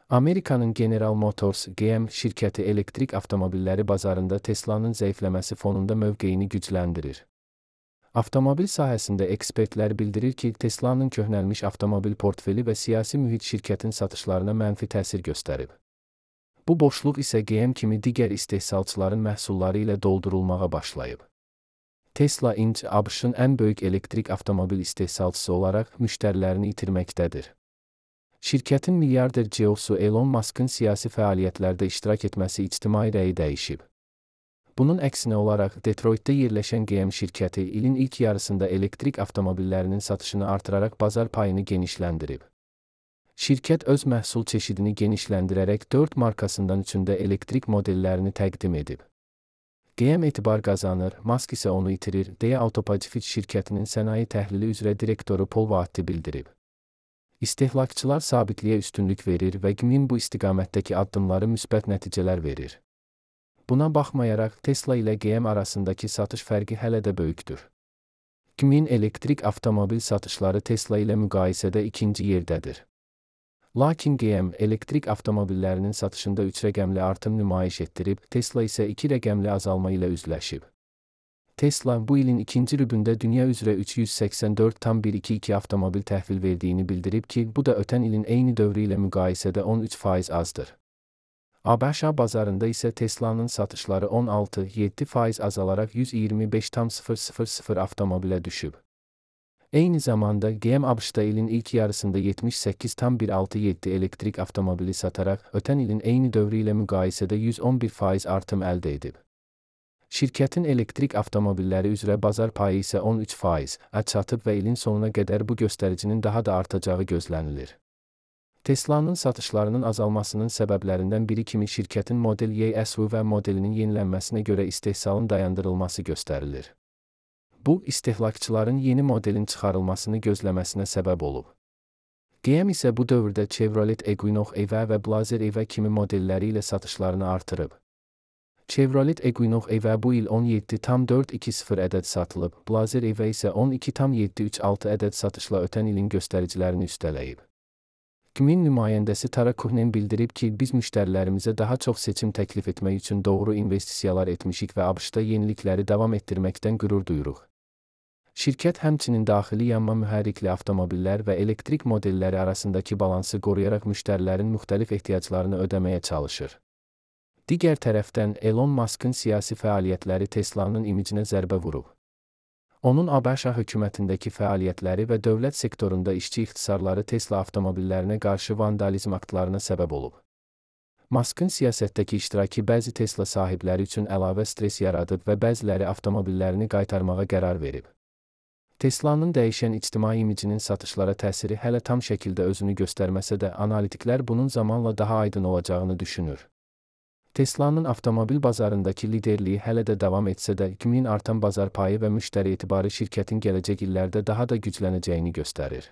Amerikanın General Motors (GM) şirkəti elektrik avtomobilləri bazarında Tesla'nın zəifləməsi fonunda mövqeyini gücləndirir. Avtomobil sahəsində ekspertlər bildirir ki, Tesla'nın köhnəlmiş avtomobil portfeli və siyasi mühit şirkətin satışlarına mənfi təsir göstərib. Bu boşluq isə GM kimi digər istehsalçıların məhsulları ilə doldurulmağa başlayıb. Tesla Inc. ABŞ-ın ən böyük elektrik avtomobil istehsalçısı olaraq müştərilərini itirməkdədir. Şirkətin milyarder CEO-su Elon Musk'ın siyasi fəaliyyətlərdə iştirak etməsi ictimai rəyi dəyişib. Bunun əksinə olaraq Detroitdə yerləşən GM şirkəti ilin ilk yarısında elektrik avtomobillərinin satışını artıraraq bazar payını genişləndirib. Şirkət öz məhsul çeşidini genişləndirərək 4 markasından üçündə elektrik modellərini təqdim edib. GM etibar qazanır, Musk isə onu itirir, deyə Autopacifik şirkətinin sənaye təhlili üzrə direktoru Paul Vahti bildirib. İstehlakçılar sabitliyə üstünlük verir və GM bu istiqamətdəki addımları müsbət nəticələr verir. Buna baxmayaraq, Tesla ilə GM arasındakı satış fərqi hələ də böyükdür. GM-in elektrik avtomobil satışları Tesla ilə müqayisədə ikinci yerdədir. Lakin GM elektrik avtomobillərinin satışında 3 rəqəmli artım nümayiş etdirib, Tesla isə 2 rəqəmli azalma ilə üzləşib. Tesla bu ilin ikinci rübündə dünya üzrə 384,122 avtomobil təhvil verdiyini bildirib ki, bu da ötən ilin eyni dövrü ilə müqayisədə 13% azdır. ABŞ bazarında isə Tesla'nın satışları 16,7% azalaraq 125,000 avtomobilə düşüb. Eyni zamanda GM ABŞ-da ilin ilk yarısında 78,167 elektrik avtomobili sataraq ötən ilin eyni dövrü ilə müqayisədə 111% artım əldə edib. Şirkətin elektrik avtomobilləri üzrə bazar payı isə 13%-ə çatıb və ilin sonuna qədər bu göstəricinin daha da artacağı gözlənilir. Tesla'nın satışlarının azalmasının səbəblərindən biri kimi şirkətin Model Y SUV modelinin yenilənməsinə görə istehsalın dayandırılması göstərilir. Bu, istehlakçıların yeni modelin çıxarılmasını gözləməsinə səbəb olub. GM isə bu dövrdə Chevrolet Equinox EV və Blazer EV kimi modelləri ilə satışlarını artırıb. Chevrolet Equinox EV bu il 17,420 ədəd satılıb, Blazer EV isə 12,736 ədəd satışla ötən ilin göstəricilərini üstələyib. GM-in nümayəndəsi Tara Kuhnen bildirib ki, biz müştərilərimizə daha çox seçim təklif etmək üçün doğru investisiyalar etmişik və ABŞ-da yenilikləri davam etdirməkdən qürur duyuruq. Şirkət həmçinin daxili yanma mühərrikli avtomobillər və elektrik modelləri arasındakı balansı qoruyaraq müştərilərin müxtəlif ehtiyaclarını ödəməyə çalışır. Digər tərəfdən, Elon Musk'ın siyasi fəaliyyətləri Tesla'nın imicinə zərbə vurub. Onun ABŞ hökumətindəki fəaliyyətləri və dövlət sektorunda işçi ixtisarları Tesla avtomobillərinə qarşı vandalizm aktlarına səbəb olub. Musk'ın siyasətdəki iştirakı bəzi Tesla sahibləri üçün əlavə stres yaradıb və bəziləri avtomobillərini qaytarmağa qərar verib. Tesla'nın dəyişən ictimai imicinin satışlara təsiri hələ tam şəkildə özünü göstərməsə də, analitiklər bunun zamanla daha aydın olacağını düşünür. Tesla'nın avtomobil bazarındakı liderliyi hələ də davam etsə də, GM-in artan bazar payı və müştəri etibarı şirkətin gələcək illərdə daha da güclənəcəyini göstərir.